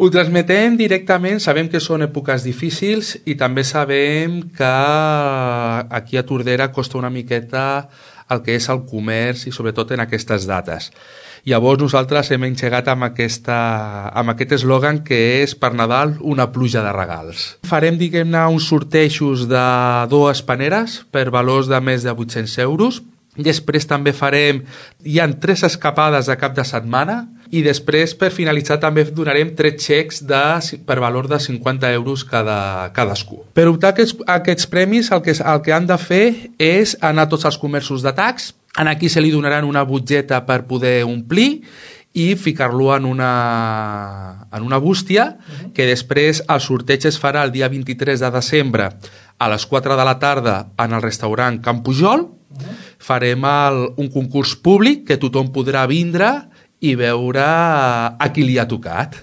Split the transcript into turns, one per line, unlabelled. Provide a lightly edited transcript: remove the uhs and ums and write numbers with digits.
Ho transmetem directament, sabem que són èpoques difícils i també sabem que aquí a Tordera costa una miqueta el que és el comerç i sobretot en aquestes dates. Llavors nosaltres hem engegat amb aquest eslògan que és per Nadal una pluja de regals. Farem, diguem-ne, uns sortejos de 2 paneres per valors de més de 800 euros. Després també hi ha 3 escapades de cap de setmana i després per finalitzar també donarem 3 xecs per valor de 50 euros cadascú. Per optar a aquests premis el que han de fer és anar a tots els comerços de tax, aquí se li donaran una butgeta per poder omplir i ficar-lo en una bústia que després el sorteig es farà el dia 23 de desembre a les 4 de la tarda en el restaurant Can Pujol. Farem un concurs públic que tothom podrà vindre i veure a qui li ha tocat.